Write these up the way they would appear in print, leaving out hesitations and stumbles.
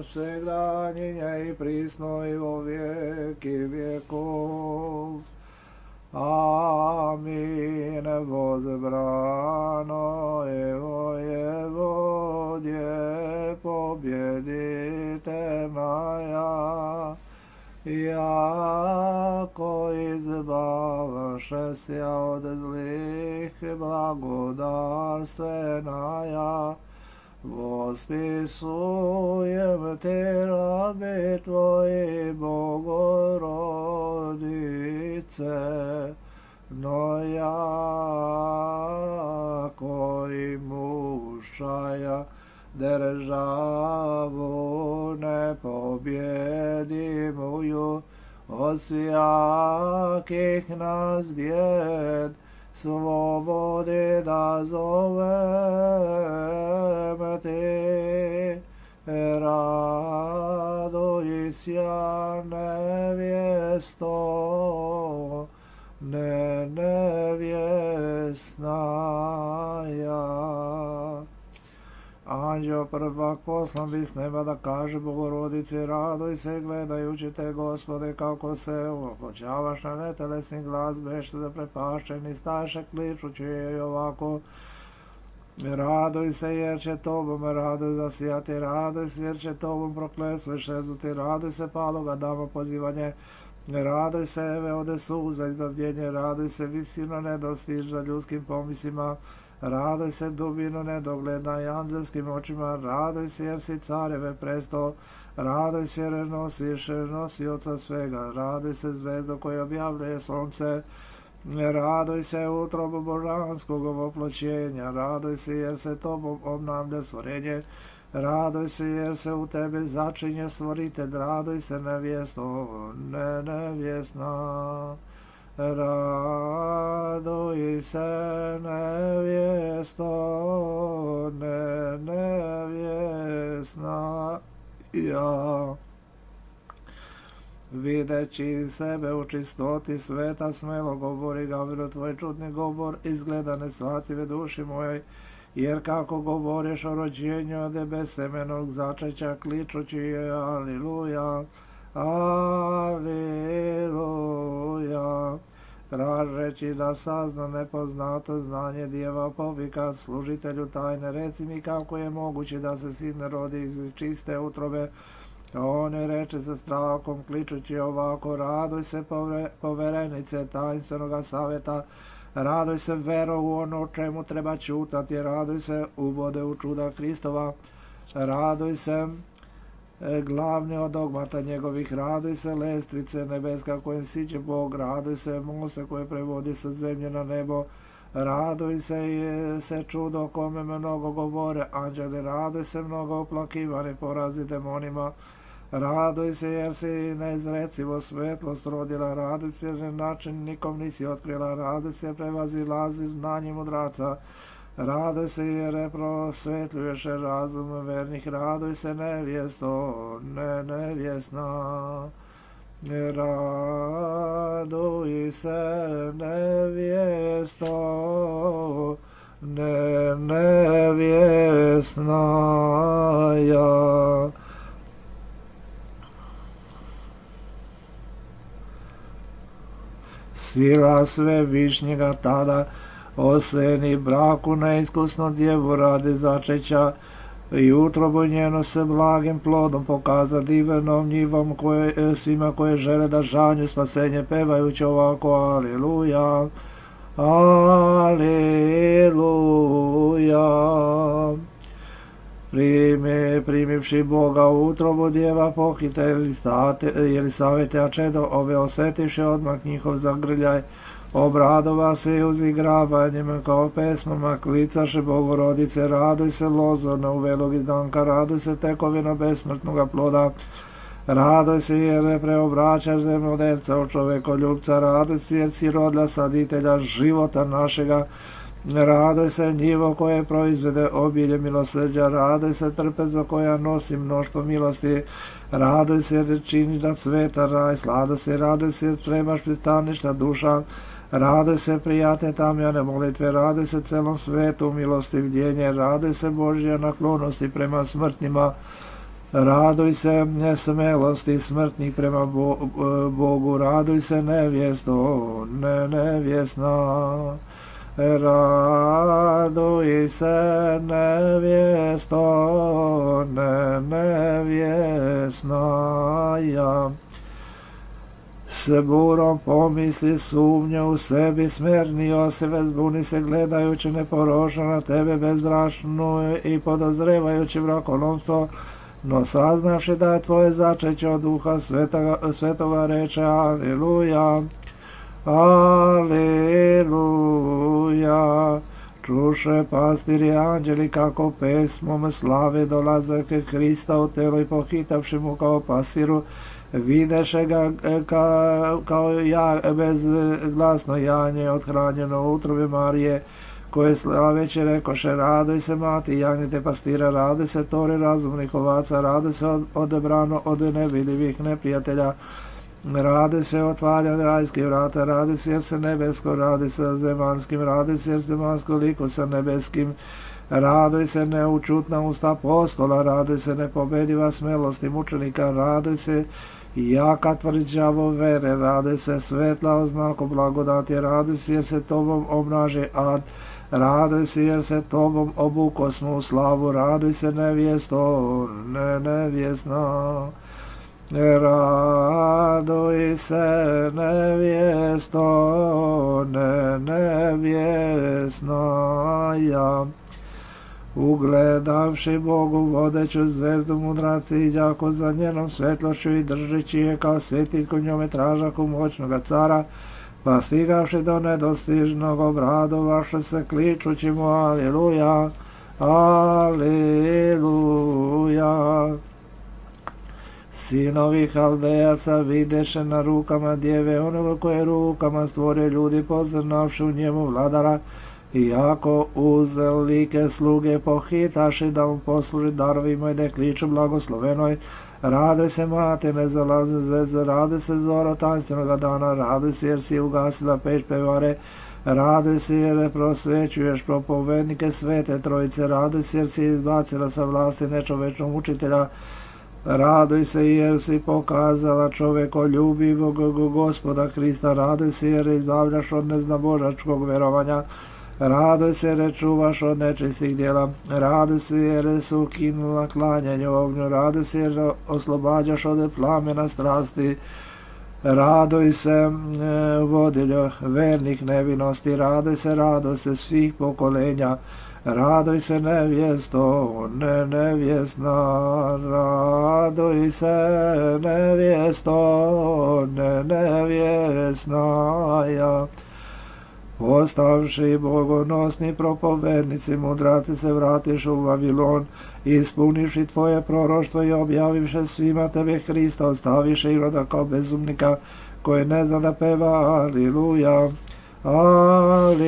всегда, ныне и присно и во веки веков. Аминь. Возбрано его Еводие победительная, яко избавшися от злых благодарственная, восписуем Ты, раби Твои, Богородице, но яко имущая державу непобедимую от всяких нас бед, свободы да зовем Ты. Радуйся, невесто, не невестная. Anđeo prvak poslan bi s neba da kaže Bogorodici, radoj se gledajući te, Gospode, kako se oploćavaš na netelesni glas, bešte zaprepašćeni, staše kličući je ovako. Radoj se jer će tobom radoj zasijati, radoj se jer će tobom prokletstvo iščeznuti, radoj se paloga dama pozivanje, radoj se eve ode suza izbavljenje, radoj se visino nedostižna ljudskim pomislima, radoj se dubino nedogledna i anđelskim očima, radoj se jer si careve presto, radoj se jer nosiš nosioca svega, radoj se zvezdo koje objavljuje sunce, radoj se utrobu božanskog oploćenja, radoj se jer se tobom obnavlja stvorenje, radoj se jer se u tebe začinje stvoritelj, radoj se nevjesto, ne nevjesna. Radoj se nevjesto, ne nevjesna. Ja, videći sebe u čistoti sveta, smelo govori Gavrilo, tvoj čudni govor izgleda nesvative duši mojoj, jer kako govoriš o rođenju ode bez semenog začeća, kličući je aliluja, aliluja. Tražeći da sazna nepoznato znanje djeva povika služitelju tajne, reci mi kako je moguće da se sin ne rodi iz čiste utrobe. On je reče sa strahom, kličući ovako, radoj se poverenice tajnstvenog savjeta, radoj se vero u ono čemu treba čutati, radoj se uvode u čuda Hristova, radoj se glavni od dogmata njegovih, radoj se lestvice nebeska kojim siđe Bog, radoj se Mose koje prevodi sa zemlje na nebo, radoj se čudo kome mnogo govore anđeli, radoj se mnogo oplakivani porazi demonima, radoj se jer si neizrecivo svetlost rodila, radoj se jer način nikom nisi otkrila, radoj se prevazilazi znanje mudraca, radoj se jer prosvetljuješ razum vernih, radoj se nevjesto, ne nevjesna. Radoj se nevjesto, ne nevjesna. Sila Svevišnjega tada oseni braku neiskusno djevu radi začeća i utrobu njeno se blagim plodom pokaza divenom njivom svima koje žele da žanju spasenje pevajući ovako aliluja, aliluja. Primivši Boga u utrobu djeva pohite Jelisavete, a čedo ove osetivši odmah njihov zagrljaj, obradova se i uzigravanjem kao pesmama, klicaše Bogorodice, raduj se lozorna uvelog izdanka, raduj se tekovina besmrtnoga ploda, raduj se jer preobraćaš zemljodelca u čovekoljubca, raduj se jer si rodila saditelja života našega, raduj se njivo koje proizvede obilje milosrđa, raduj se trpezo koja nosi mnoštvo milosti, raduj se jer čini da cveta raj, slado se, raduj se jer spremaš pristaništa duša, raduj se prijatne tamjane molitve, raduj se celom svetu milostivljenje, raduj se Božja naklonosti prema smrtnima, Raduj se smelosti smrtnih prema Bogu, raduj se nevjesto, nevjesna. Raduj se nevjesto, nevjesna ja. S burom pomisli sumnje u sebi, smernio se, zbuni se gledajući neporočno na tebe bezbrašnu i podozrevajući brakonomstvo, no saznavši da je tvoje začeće od Duha Svetoga reče Aleluja, Aleluja. Čuše pastiri anđeli kako pesmom slave dolaze k Hrista u telo i pohitavši mu kao pasiru, videše ga kao bezglasno janje othranjeno u utrobi Marije, koje slaveći rekoše raduj se mati jagnjete pastira, raduj se tori razumnih ovaca, raduj se odebrano od nevidljivih neprijatelja, raduj se otvarjanje rajskih vrata, raduj se jer se nebesko, raduj se zemanskim, raduj se jer zemansko liku sa nebeskim, raduj se neučutna usta apostola, raduj se nepobediva smelosti mučenika, raduj se jaka tvrđavo vere, raduj se svetla oznaku blagodati, raduj se jer se tobom obnaži ad, raduj se jer se tobom obukosmo u slavu, raduj se nevjesto, nevjesna. Raduj se nevjesto, nevjesna ja. Ugledavši Bogu vodeću zvezdu mudraci iđako za njenom svetlošću i držeći je kao svjetiljku njome tražaku moćnoga cara, pa stigavši do nedostižnog obradovaše se kličući mu Aleluja, Aleluja. Sinovi Haldejaca videše na rukama djeve onoga koje rukama stvorio ljudi poznavši u njemu vladara, iako uzel like sluge pohitaši da mu posluži darovima i da kliču blagoslovenoj, raduj se mate nezalazne zvezde, raduj se zora tanstvenoga dana, raduj se jer si ugasila peć pevare, raduj se jer prosvećuješ propovednike svete trojice, raduj se jer si izbacila sa vlasti nečovečnog učitelja, raduj se jer si pokazala čovekoljubivog Gospoda Hrista, raduj se jer izbavljaš od neznabožačkog verovanja, raduj se jer čuvaš od nečistih djela, raduj se jer si ukinula klanjanje ognju, raduj se jer oslobađaš od plamena strasti, raduj se vodiljo vernih nevinosti, raduj se svih pokolenja, raduj se nevjesto, nevjesna, raduj se nevjesto, nevjesna ja. Postavši bogonosni propovednici, mudraci se vratiš u Vavilon, ispuniši tvoje proroštvo i objavivše svima tebe Hrista, ostaviše Iroda kao bezumnika koji ne zna da peva Aleluja, Aleluja.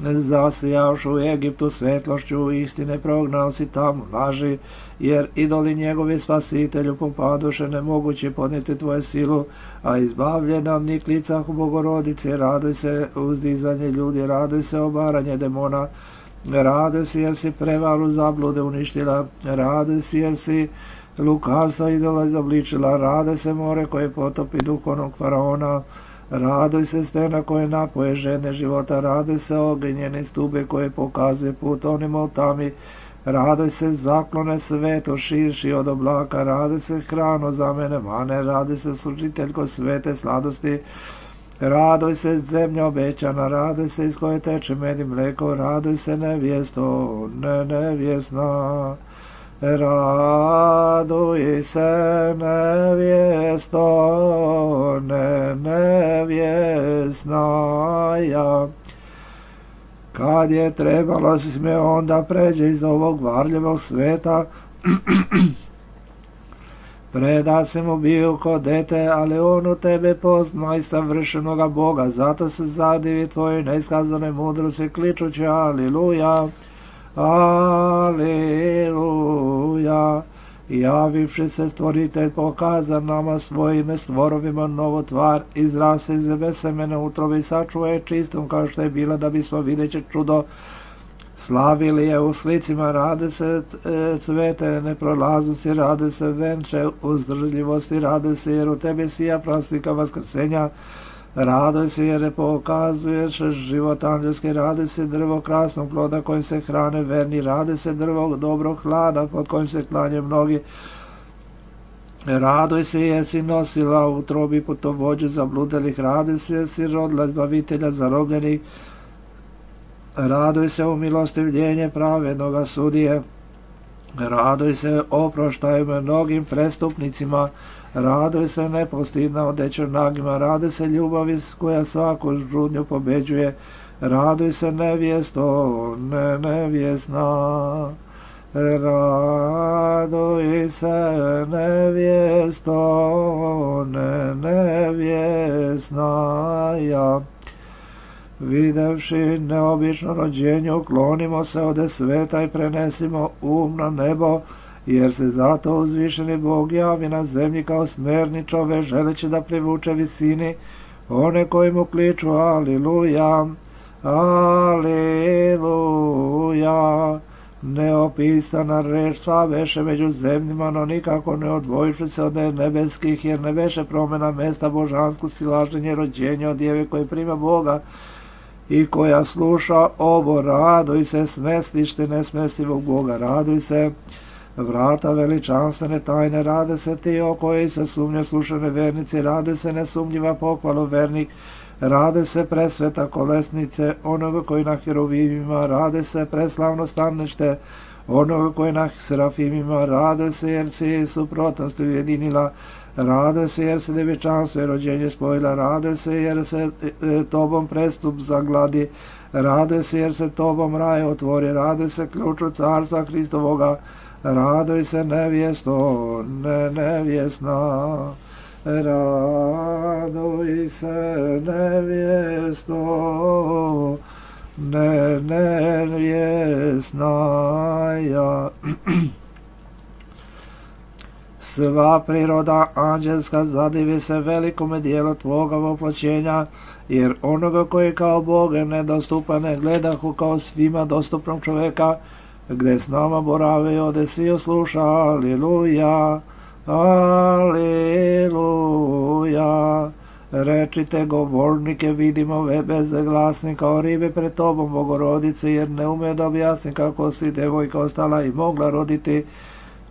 Zasijavši u Egiptu svetlošću istine prognao si tamo laži, jer idoli njegovi spasitelju popadoše nemoguće podnijeti tvoje silu, a izbavljena od niklica u Bogorodice, raduj se uzdizanje ljudi, raduj se obaranje demona, raduj se jer si prevaru zablude uništila, raduj se jer si lukavstva idola izobličila, raduj se more koje potopi duh onog faraona, raduj se stena koje napoje žene života, raduj se ognjene stube koje pokazuje put onima u tami, raduj se zaklone sveto širši od oblaka, raduj se hrano za mene mane, raduj se služiteljko svete sladosti, raduj se zemlja obećana, raduj se iz koje teče med i mleko, raduj se nevjesto, nevjesna. Raduj se nevjesto, nevjesna ja. Kad je trebalo si me onda pređe iz ovog varljivog sveta, preda se mu bio ko dete, ali on u tebe pozna i savršenoga Boga, zato se zadivi tvojoj neiskazanoj mudrosti kličući Aleluja, Aleluja. Javivši se stvoritelj pokaza nama svojime stvorovima novu tvar, izrase iz semena utrobi, sačuva je čistom kao što je bila, da bismo videći čudo Slavili je u slicima, rade se cvete neprolaznosti, rade se venče uzdržljivosti, rade se jer u tebi sija praslika vaskrsenja, radoj se jer pokazuješ život anđelski, rade se drvo krasnog ploda kojim se hrane verni, rade se drvo dobrog hlada pod kojim se klanje mnogi, radoj se jesi nosila u trobi putovođu zabludelih, radoj se jesi rodila zbavitelja zarobljenih, radoj se u milostivljenje pravednoga sudije, radoj se oproštaju mnogim prestupnicima, radoj se nepostidna odeća nagima, radoj se ljubavi koja svaku žudnju pobeđuje, radoj se nevjesto, nevjesna, radoj se nevjesto, nevjesna, ja. Videvši neobično rođenje, uklonimo se ode sveta i prenesimo na nebo, jer se zato uzvišeni Bog javi na zemlji kao smerni čove, želeći da privuče visini one koji mu kliču aliluja, aliluja. Neopisana reč sva beše među zemljima, no nikako ne odvojiši se od nebeskih, jer ne beše promena mesta božansko silaženje rođenja od djeve koje prima Boga i koja sluša ovo, radoj se smestište nesmestivog Boga, radoj se vrata veličanstvene tajne, rade se ti o koji se sumnje slušane vernici, rade se nesumnjiva pohvalo vernik, rade se presveta kolesnice onoga koji na heruvimima, rade se preslavno stanište onoga koji na serafimima, rade se jer si suprotnost ujedinila, rade se jer se djevičanstvo i rođenje spojila, rade se jer se tobom prestup zagladi, rade se jer se tobom raj otvori, rade se ključu carstva Hristovoga, radoj se nevjesto, nevjesna, radoj se nevjesto, nevjesna, ja. Sva priroda anđelska zadivi se velikome dijelu tvoga voploćenja, jer onoga koji kao Boga nedostupan ne gledahu kao svima dostupnog čoveka, gde s nama borave i ode svi osluša, aliluja, aliluja. Rečite govornike, vidimo bezglasni kao ribe pred tobom, Bogorodice, jer ne ume da objasni kako si devojka ostala i mogla roditi.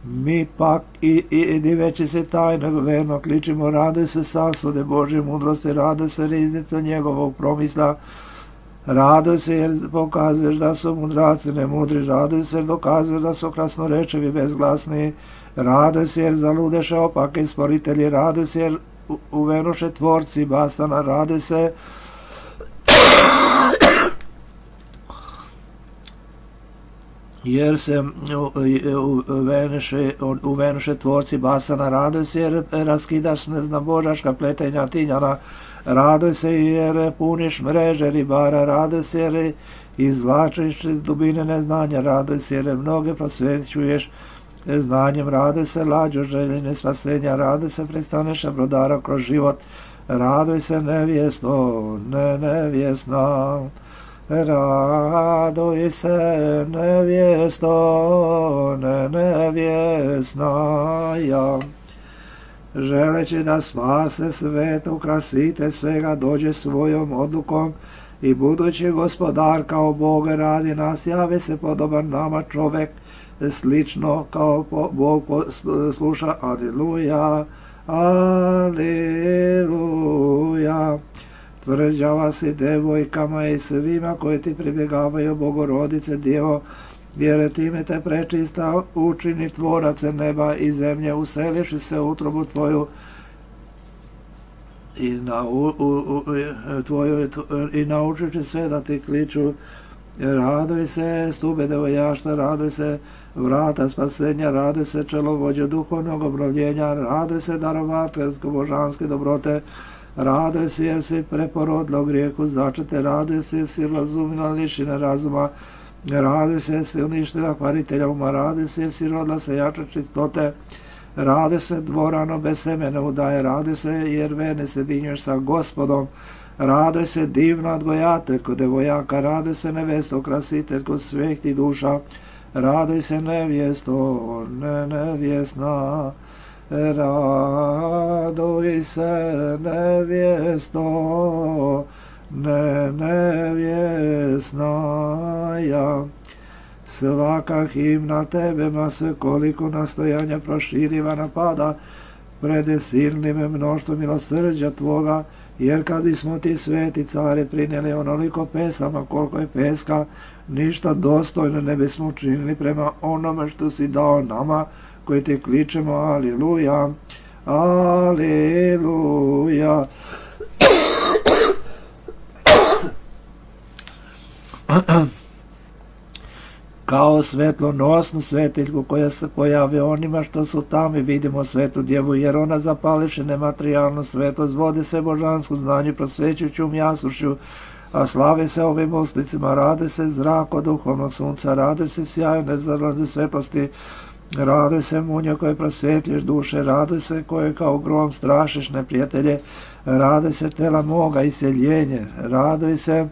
Mi pak i diveći se tajno verno kličimo, rade se sasude Božje mudrosti, rade se riznicu njegovog promisla, radoj se jer pokazuješ da su mudraci nemudri, radoj se jer dokazuješ da su krasnorečevi bezglasni, radoj se jer zaludeše opake i sporitelji, radoj se jer uvenuše tvorci basana, radoj se jer se uvenuše tvorci basana, radoj se jer raskidaš neznabožaška pletenja tinjana, radoj se jer puniš mreže ribara, radoj se jer izvlačiš iz dubine neznanja, radoj se jer mnoge prosvećuješ znanjem, radoj se lađo željene spasenja, radoj se pristaneš brodara kroz život, radoj se nevjesto, nevjesna, radoj se nevjesto, nevjesna, ja. Želeći da spase svet, ukrasite svega, dođe svojom odlukom i budući gospodar kao Bog radi nas, javi se podoban nama čovek, slično kao Bog sluša, aliluja, aliluja. Tvrđava si devojkama i svima koji ti pribjegavaju, Bogorodice Djevo, jer time te prečista učini tvorace neba i zemlje, useliši se u utrobu tvoju i naučići sve da ti kliču. Radoj se stube devojašta, radoj se vrata spasenja, radoj se čelovođe duhovnog obnovljenja, radoj se darovateljsko božanske dobrote, radoj se jer si preporodila u grijehu začete, radoj se jer si razumila lišine razuma, radoj se jer si uništila hvaritelja uma, radoj se jer si rodila se jača čistote, radoj se dvorano bez semena udaje, radoj se jer verne se dinješ sa Gospodom, Radoj se divna odgojateljko devojaka, radoj se nevesto krasiteljko svih ti duša, radoj se nevjesto nevjesna, radoj se nevjesto nevjesna ja. Svaka himna tebe ma se koliko nastojanja proširiva napada pred silnim mnoštvom milosrđa tvoga, jer kad bismo ti sveti care prinijeli onoliko pesama koliko je peska, ništa dostojno ne bismo učinili prema onome što si dao nama koji te kličemo aliluja, aliluja. Kao svetlonosnu svetiljku koja se pojave onima što su tamo i vidimo svetu djevu, jer ona zapališe nematerijalnu svetlost, vode se božansku znanju, prosvećujuću jasušću, a slave se ovim uslicima, rade se zrak od duhovnog sunca, rade se sjaju nezarlaze svetlosti, rade se munje koje prosvjetlješ duše, rade se koje kao grom strašiš neprijatelje, rade se tela moga iseljenje, rade se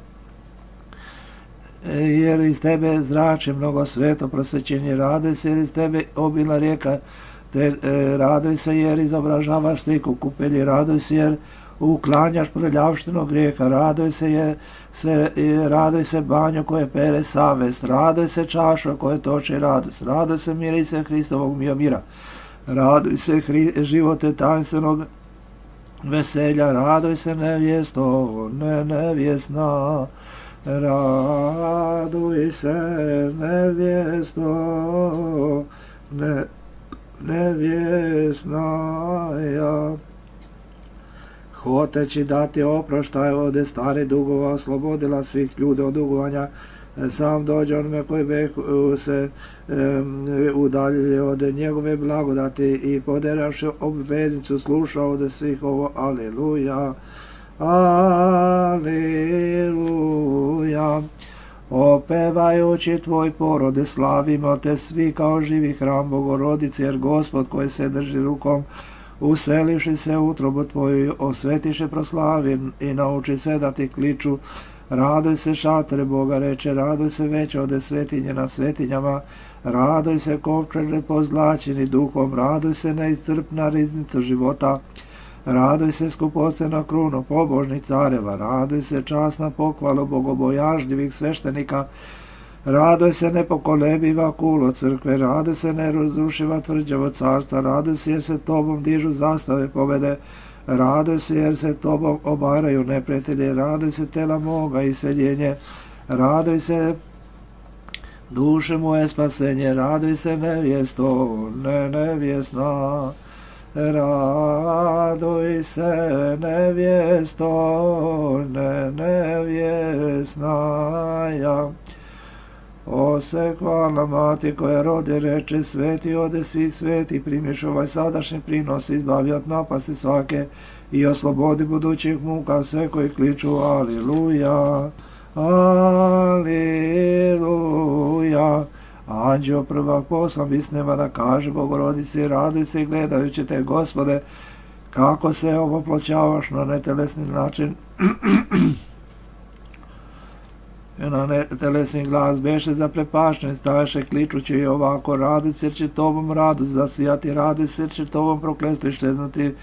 jer iz tebe zrači mnogo sveto prosvećenje, radoj se jer iz tebe obilna rijeka, radoj se jer izobražavaš sliku kupelji, radoj se jer uklanjaš prljavštinu grijeha, radoj se banju koje pere savest, radoj se čaša koje toči radost, radoj se mirise Hristovog mira, radoj se živote tajnstvenog veselja, radoj se nevjesto nevjesna, raduj se nevjesto nevjesna ja. Hoteći dati oproštaj od stare dugova, oslobodila svih ljudi od dugovanja, sam dođe onome koji bi se udaljili od njegove blagodati i poderavši obveznicu slušao od svih ovo aleluja, aleluja. Opevajući tvoj porode slavimo te svi kao živi hram Bogorodice, jer Gospod koji se drži rukom uselivši se u utrobu tvoju osvetiše proslavi i nauči se da ti kliču. Radoj se šatore Boga reče, radoj se veće ode svetinje na svetinjama, radoj se kovčeže pozlačeni duhom, radoj se neiscrpna riznica života, radoj se skupocena krunu pobožnih careva, radoj se časna pohvala bogobojažljivih sveštenika, radoj se nepokolebiva kulo crkve, radoj se nerazrušiva tvrđavo carstva, radoj se jer se tobom dižu zastave pobede, radoj se jer se tobom obaraju neprijatelji, radoj se tela moga iseljenje, radoj se duše moje spasenje, radoj se nevjesto nevjesna, radoj se nevjesto nevjesna ja. Ose hvala mati koja rode reče, sveti ode svi sveti, primiš ovaj sadašnji prinos, izbavi od napasti svake i oslobodi budućih muka sve koji kliču aliluja, aliluja. Anđeo prvak poslan bisneva da kaže Bogorodici, raduj se gledajući te Gospode, kako se ovoploćavaš na netelesni način. Na netelesni glas beše zaprepašten, staješe kličući i ovako, raduj se jer će tobom radost zasijati, raduj se jer će tobom prokletstvo iščeznuti,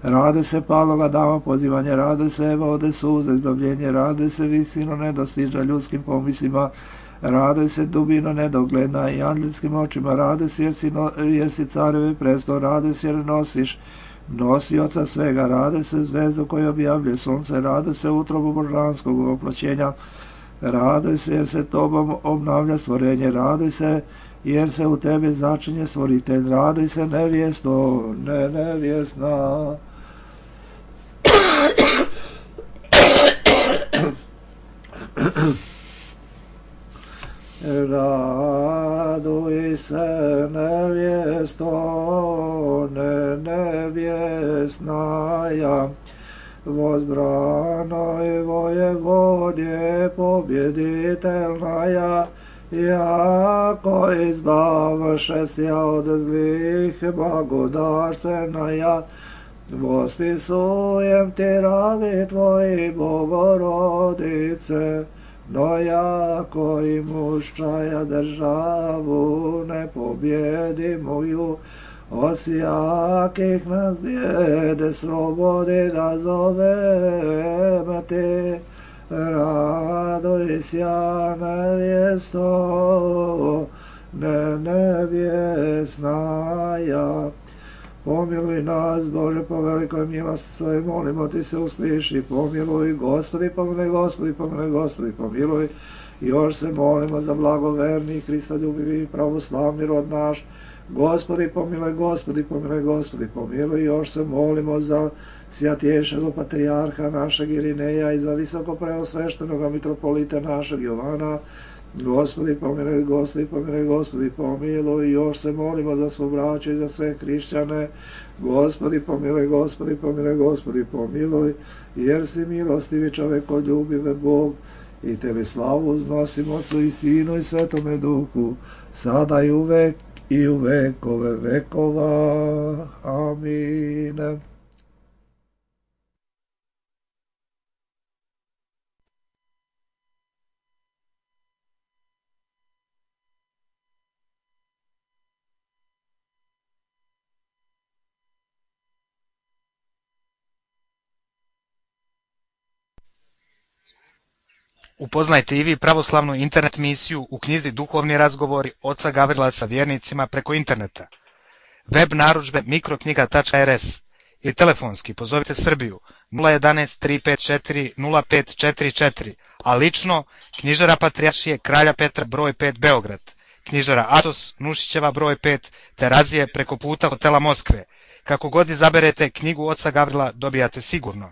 raduj se paloga dama pozivanje, raduj se evo ode suza izbavljenje, raduj se visino nedostiža ljudskim pomislima, raduj se dubino nedogledna i anđelskim očima, raduj se jer si carevi prestol, raduj se jer nosiš nosioca svega, raduj se zvezdu koju objavljuje sunce, raduj se utrobu božanskog oploćenja, raduj se jer se tobom obnavlja stvorenje, raduj se jer se u tebe začinje stvoritelj, raduj se nevjesto nevjesna. Raduj se nevjesto nevjesna ja. Возбранoj vojevodje pobjeditelnaja, jako izbavše sja od zlih blagodarstvena ja, Vospisujem ti ravi tvoji, Bogorodice, no jako i muščaja državu ne pobjedimu ju, osjakih nas bijede slobodi da zovem ti, radujся, nevjesto, nevjesnaja. Pomiluj nas, Bože, po velikoj milosti svoje, molimo ti se, usliši, pomiluj, Gospodi, pomiluj, Gospodi, pomiluj, Gospodi, pomiluj. Još se molimo za blagoverni, Hristoljubivi, pravoslavni rod naš, Gospodi, pomiluj, Gospodi, pomiluj, Gospodi, pomiluj. Još se molimo za sjatješeg patrijarha našeg Irineja i za visoko preosveštenog mitropolita našeg Jovana. Gospodi, pomiluj, Gospodi, pomiluj, Gospodi, pomiluj. Još se molimo za svo braćo i za sve hrišćane. Gospodi, pomiluj, Gospodi, pomiluj, Gospodi, pomiluj. Jer si milostivi čovekoljubive Bog, i tebi slavu uznosimo, Otcu i Sinu i Svetome Duhu, sada i uvek i u vekove vekova. Amin. Upoznajte i vi pravoslavnu internet misiju u knjizi Duhovni razgovori oca Gavrila sa vjernicima preko interneta. Web narudžbe mikroknjiga.rs ili telefonski pozovite Srbiju 011 354 0544, a lično knjižara Patrijaršije Kralja Petra broj 5 Beograd, knjižara Atos Nušićeva broj 5 Terazije preko puta hotela Moskve. Kako god izaberete knjigu oca Gavrila dobijate sigurno.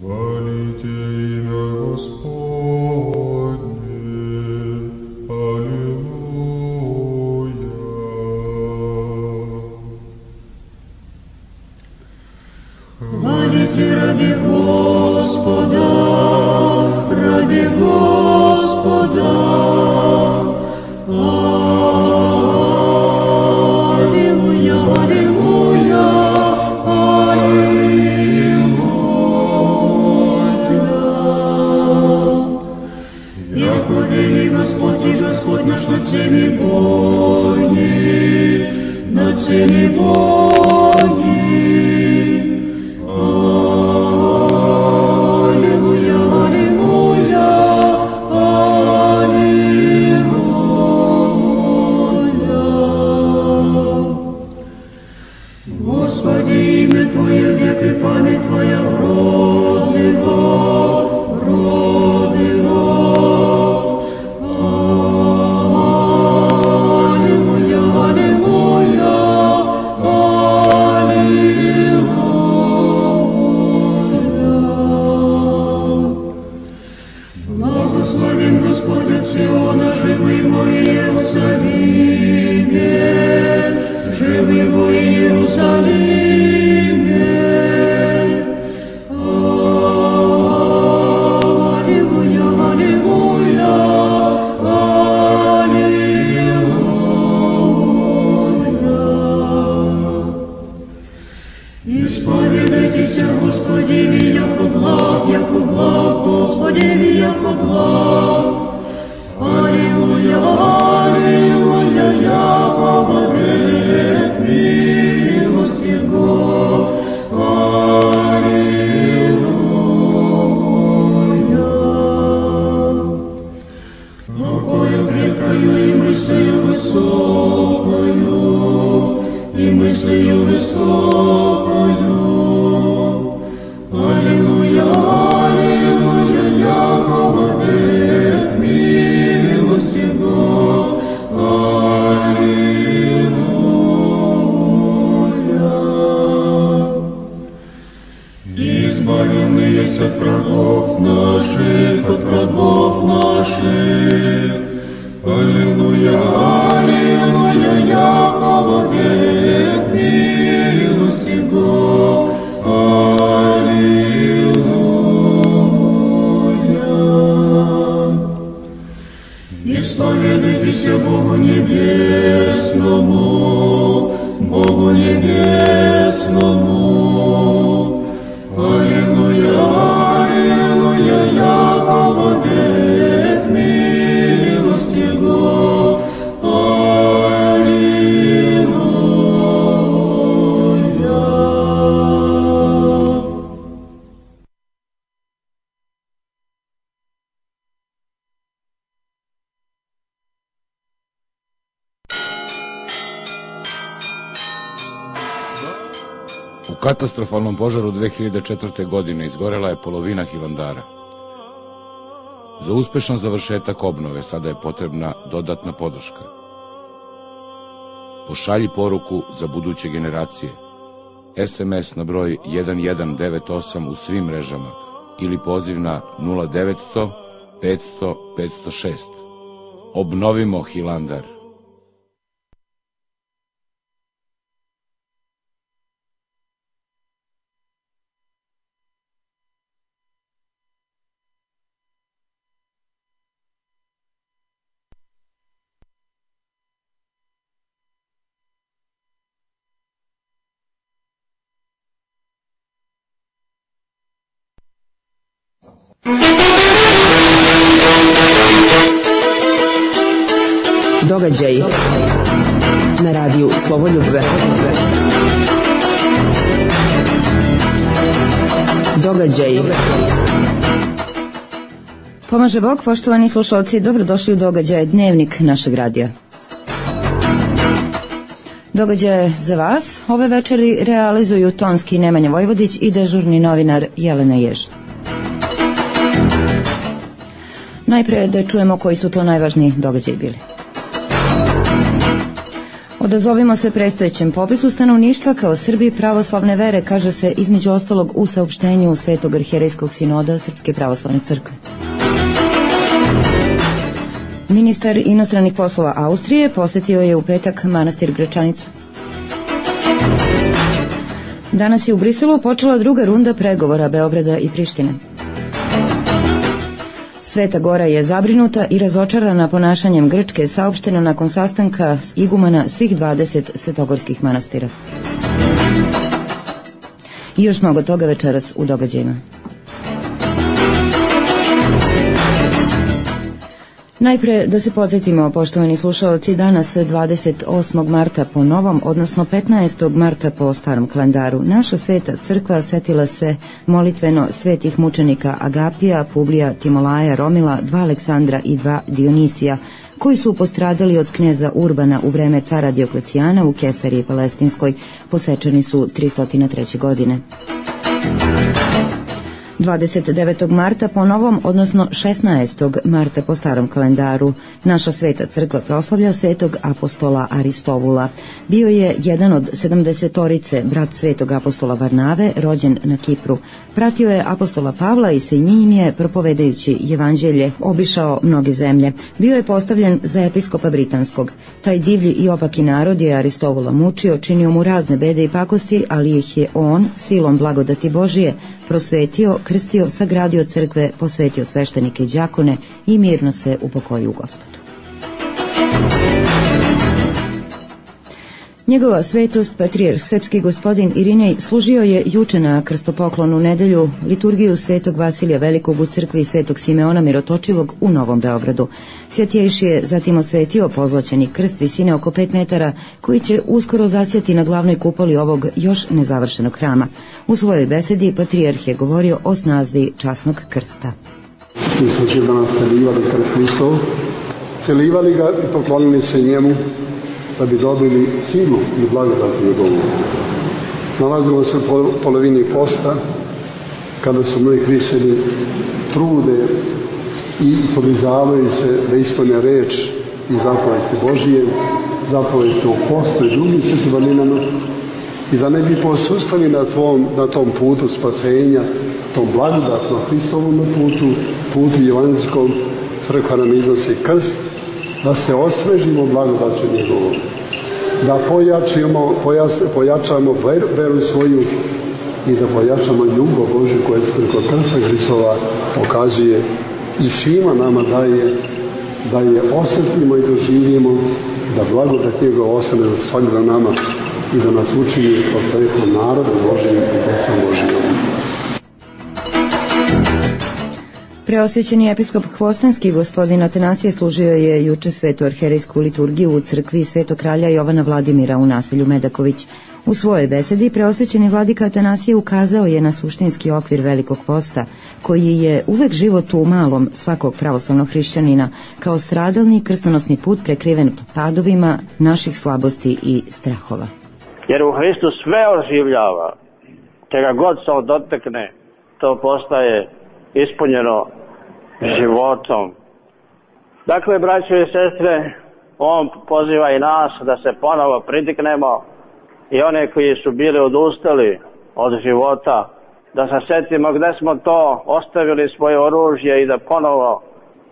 Хвалите имя Господне, Аллилуйя. Хвалите раби Господа, раби Господа. Аллилуйя, аллилуйя, яко вели Господь и Господь наш над всеми боги, над всеми боги. Аллилуйя, аллилуйя, аллилуйя. Господи, имя Твое век и память Твоя в род и род, в род и род. Аллилуйя, аллилуйя, аллилуйя. Благословен Господь от Сиона, живый во Иерусалиме, живый во Иерусалиме. Аллилуйя, аллилуйя, аллилуйя. Исповедайтесь, Господи, яко благ, Господи, яко благ. Аллилуйя, аллилуйя, яко вовек милость Его. Аллилуйя. Рукою крепкою и мыслью высокою, и мыслью высокою. Аллилуйя, аллилуйя, яко вовек милость Его. Аллилуйя. Небесному. Аллилуйя, аллилуйя, Якова век милость Его. U katastrofalnom požaru 2004. godine izgorela je polovina Hilandara. Za uspešan završetak obnove sada je potrebna dodatna podrška. Pošalji poruku za buduće generacije. SMS na broj 1198 u svim mrežama ili poziv na 0900 500 506. Obnovimo Hilandar. Događaji na radiju Slobodljube. Događaji. Pomaže Bog, poštovani slušalci, dobrodošli u događaje Dnevnik našeg radija. Događaje za vas ove večeri realizuju tonski Nemanja Vojvodić i dežurni novinar Jelena Jež. Najpre da čujemo koji su to najvažniji događaji bili. Odazovimo se predstojećem popisu stanovništva kao Srbi pravoslavne vere, kaže se između ostalog u saopštenju Svetog arhijerejskog sinoda Srpske pravoslavne crkve. Ministar inostranih poslova Austrije posetio je u petak manastir Gračanicu. Danas je u Briselu počela druga runda pregovora Beograda i Prištine. Sveta Gora je zabrinuta i razočarana ponašanjem Grčke, saopšteno nakon sastanka igumana svih 20 svetogorskih manastira. I još mnogo toga večeras u događajima. Najpre da se podsjetimo, poštovani slušalci, danas 28. marta po novom, odnosno 15. marta po starom kalendaru, naša sveta crkva setila se molitveno svetih mučenika Agapija, Publija, Timolaja, Romila, 2 Aleksandra i 2 Dionisija, koji su postradali od kneza Urbana u vreme cara Dioklecijana u Kesariji Palestinskoj, posečeni su 303. godine. 29. marta po novom, odnosno 16. marta po starom kalendaru, naša sveta crkva proslavlja svetog apostola Aristovula. Bio je jedan od 70-torice, brat svetog apostola Varnave, rođen na Kipru. Pratio je apostola Pavla i sa njim je, propovedajući evanđelje, obišao mnoge zemlje. Bio je postavljen za episkopa britanskog. Taj divlji i opaki narod je Aristovula mučio, činio mu razne bede i pakosti, ali ih je on, silom blagodati Božije, prosvetio, krstio, sagradio crkve, posvetio sveštenike i đakone i mirno se upokojio u Gospodu. Njegova svetost, patrijarh srpski gospodin Irinej, služio je juče na krstopoklonu nedelju liturgiju svetog Vasilija Velikog u crkvi svetog Simeona Mirotočivog u Novom Beogradu. Svetjejši je zatim osvetio pozlaćeni krst visine oko 5 metara koji će uskoro zasjati na glavnoj kupoli ovog još nezavršenog hrama. U svojoj besedi patrijarh je govorio o snazi časnog krsta. Mi smo će danas celivali krst Hristov, celivali ga i poklonili se njemu da bi dobili silu i blagodat njegovu. Nalazimo se u polovini posta, kada su mnogi hrišćani trude i podizavaju se da ispune reč i zapovesti Božije, zapovesti o postu i drugim svetim vrlinama, i da ne bi posustali na tom putu spasenja, tom blagodatnom Hristovom putu evanđelskom. Crkva nam iznosi krst, da se osvežimo blagodaću njegovom, da pojačamo veru svoju i da pojačamo ljubav Božju koja se preko krsta Hristova pokazuje i svima nama da je osjetimo i doživimo, da blagodat njegova ostane za svakog nama i da nas učini kao što je rekao narodom Božijim i decom Božijom. Preosvećeni episkop Hvostanski gospodin Atanasije služio je juče svetu arherejsku liturgiju u crkvi Svetog kralja Jovana Vladimira u naselju Medaković. U svojoj besedi preosvećeni vladika Atanasije ukazao je na suštinski okvir Velikog posta, koji je uvek život u malom svakog pravoslavnog hrišćanina, kao stradalni krstonosni put prekriven padovima naših slabosti i strahova. Jer u Hristu sve oživljava, čega god se dotakne, to postaje ispunjeno životom. Dakle, braćo i sestre, on poziva i nas da se ponovo pridiknemo i one koji su bili odustali od života, da se setimo gde smo to ostavili svoje oružje i da ponovo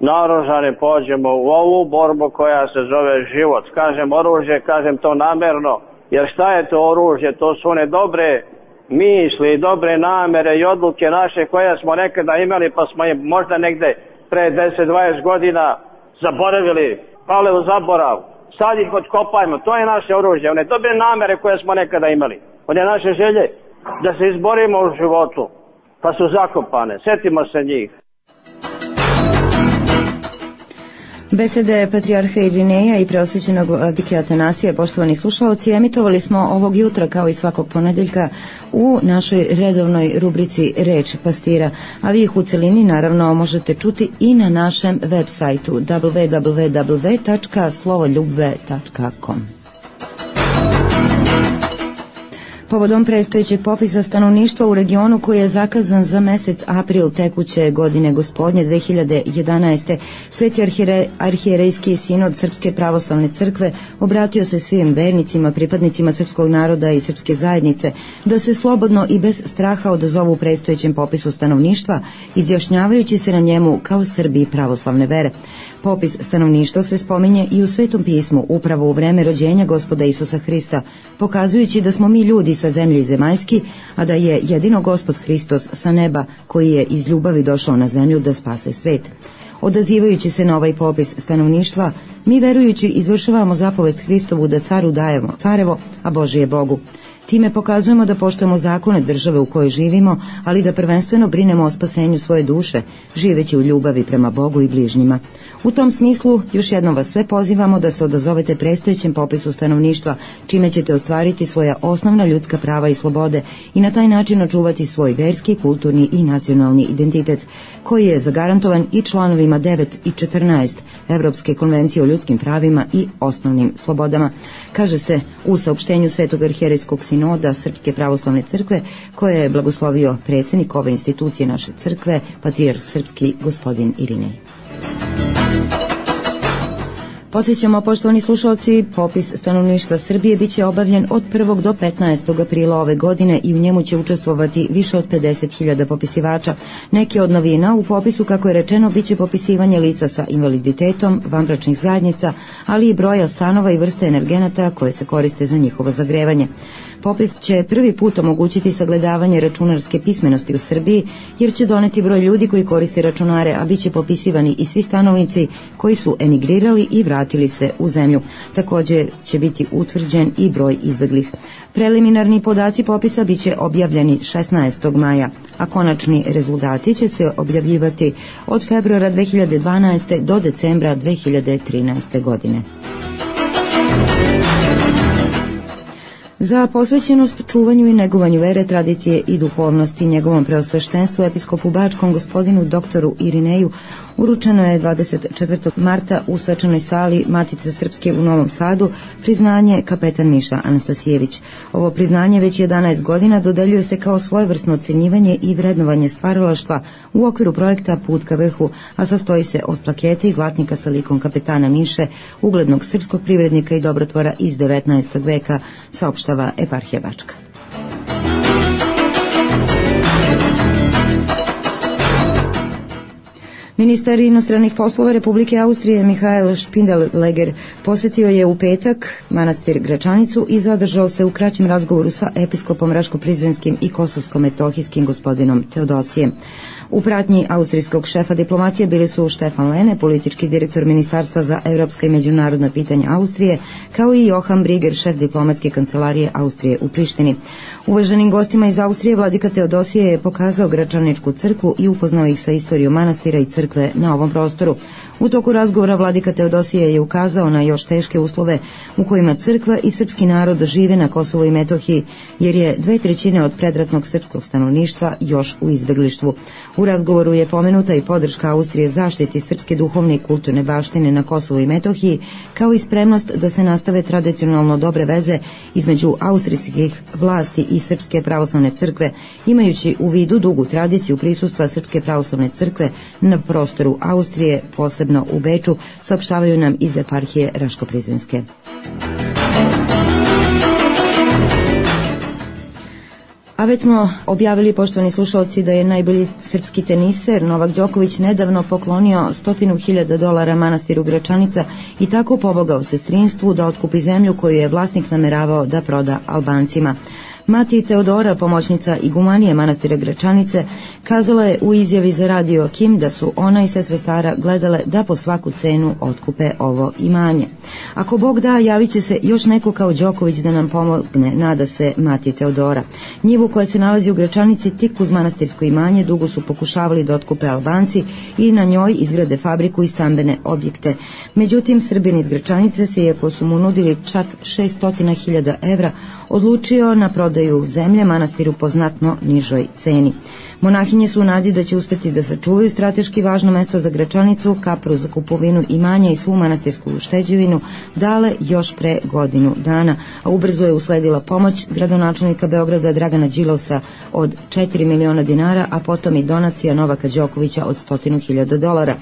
naoružani pođemo u ovu borbu koja se zove život. Kažem oružje, kažem to namerno, jer šta je to oružje? To su one dobre misli, dobre namere i odluke naše koje smo nekada imali, pa smo je možda negde pre 10-20 godina zaboravili, pale u zaborav. Sad ih otkopajmo, to je naše oružje, one dobre namere koje smo nekada imali, one naše želje da se izborimo u životu, pa su zakopane, setimo se njih. Besede patrijarha Irineja i preosvećenog vladike Atanasije, poštovani slušaoci, emitovali smo ovog jutra kao i svakog ponedeljka u našoj redovnoj rubrici Reč pastira, a vi ih u celini naravno možete čuti i na našem web sajtu www.slovoljubve.com. Povodom predstojećeg popisa stanovništva u regionu koji je zakazan za mesec april tekuće godine gospodnje 2011. Sveti arhijerejski sinod Srpske pravoslavne crkve obratio se svim vernicima, pripadnicima srpskog naroda i srpske zajednice da se slobodno i bez straha odazovu predstojećem popisu stanovništva, izjašnjavajući se na njemu kao Srbi pravoslavne vere. Popis stanovništva se spominje i u Svetom pismu upravo u vreme rođenja Gospoda Isusa Hrista, pokazujući da smo mi ljudi sa zemlje i zemaljski, a da je jedino Gospod Hristos sa neba koji je iz ljubavi došao na zemlju da spase svet. Odazivajući se na ovaj popis stanovništva, mi verujući izvršavamo zapovest Hristovu da caru dajemo carevo, a Božije Bogu. Time pokazujemo da poštujemo zakone države u kojoj živimo, ali da prvenstveno brinemo o spasenju svoje duše, živeći u ljubavi prema Bogu i bližnjima. U tom smislu, još jednom vas sve pozivamo da se odazovete predstojećem popisu stanovništva, čime ćete ostvariti svoja osnovna ljudska prava i slobode i na taj način očuvati svoj verski, kulturni i nacionalni identitet, koji je zagarantovan i članovima 9 i 14 Evropske konvencije o ljudskim pravima i osnovnim slobodama, kaže se u saopštenju Svetog arhijerejskog sinoda Srpske pravoslavne crkve, koje je blagoslovio predsjednik ove institucije naše crkve, patrijarh srpski gospodin Irinej. Podsjećamo, poštovani slušalci, popis stanovništva Srbije biće obavljen od 1. do 15. aprila ove godine i u njemu će učestvovati više od 50.000 popisivača. Neke od novina u popisu, kako je rečeno, biće popisivanje lica sa invaliditetom, vanbračnih zajednica, ali i broja stanova i vrste energenata koje se koriste za njihovo zagrevanje. Popis će prvi put omogućiti sagledavanje računarske pismenosti u Srbiji, jer će doneti broj ljudi koji koriste računare, a bit će popisivani i svi stanovnici koji su emigrirali i vratili se u zemlju. Također će biti utvrđen i broj izbeglih. Preliminarni podaci popisa bit će objavljeni 16. maja, a konačni rezultati će se objavljivati od februara 2012. do decembra 2013. godine. Za posvećenost čuvanju i negovanju vere, tradicije i duhovnosti njegovom preosveštenstvu episkopu Bačkom gospodinu doktoru Irineju uručeno je 24. marta u svečanoj sali Matice Srpske u Novom Sadu priznanje kapetan Miša Anastasijević. Ovo priznanje već 11 godina dodeljuje se kao svojevrsno ocenjivanje i vrednovanje stvaralaštva u okviru projekta Put ka vrhu, a sastoji se od plakete i zlatnika sa likom kapetana Miše, uglednog srpskog privrednika i dobrotvora iz 19. veka, saopštava eparhija Bačka. Ministar inostranih poslova Republike Austrije Mihael Spindeleger posjetio je u petak manastir Gračanicu i zadržao se u kraćem razgovoru sa episkopom Raško-Prizrenskim i Kosovsko-Metohijskim gospodinom Teodosijem. U pratnji austrijskog šefa diplomatije bili su Štefan Lene, politički direktor Ministarstva za evropska i međunarodna pitanja Austrije, kao i Johan Briger, šef diplomatske kancelarije Austrije u Prištini. Uvaženim gostima iz Austrije vladika Teodosije je pokazao Gračaničku crkvu i upoznao ih sa istorijom manastira i crkve na ovom prostoru. U toku razgovora vladika Teodosije je ukazao na još teške uslove u kojima crkva i srpski narod žive na Kosovu i Metohiji, jer je 2/3 od predratnog srpskog stanovništva još u izbeglištvu. U razgovoru je pomenuta i podrška Austrije zaštiti srpske duhovne i kulturne baštine na Kosovu i Metohiji, kao i spremnost da se nastave tradicionalno dobre veze između austrijskih vlasti i Srpske pravoslavne crkve, imajući u vidu dugu tradiciju prisustva Srpske pravoslavne crkve na prostoru Austrije, posebno u Beču, saopštavaju nam iz eparhije Raško-Prizrenske. A već smo objavili, poštovani slušalci, da je najbolji srpski teniser Novak Đoković nedavno poklonio $100.000 manastiru Gračanica i tako pomogao sestrinstvu da otkupi zemlju koju je vlasnik nameravao da proda Albancima. Mati Teodora, pomoćnica igumanije manastira Gračanice, kazala je u izjavi za radio Kim da su ona i sestra Sara gledale da po svaku cenu otkupe ovo imanje. Ako Bog da, javit će se još neko kao Đoković da nam pomogne, nada se Mati Teodora. Njivu koja se nalazi u Gračanici tik uz manastirsko imanje dugo su pokušavali da otkupe Albanci i na njoj izgrade fabriku i stambene objekte. Međutim, Srbin iz Gračanice se, iako su mu nudili čak 600.000 evra, odlučio na prodaju zemlje manastiru po znatno nižoj ceni. Monahinje su u nadi da će uspeti da sačuvaju strateški važno mesto za Gračanicu, kapru za kupovinu imanja i svu manastirsku ušteđevinu dale još pre godinu dana, a ubrzo je usledila pomoć gradonačelnika Beograda Dragana Đilasa od 4 miliona dinara, a potom i donacija Novaka Đokovića od $100.000.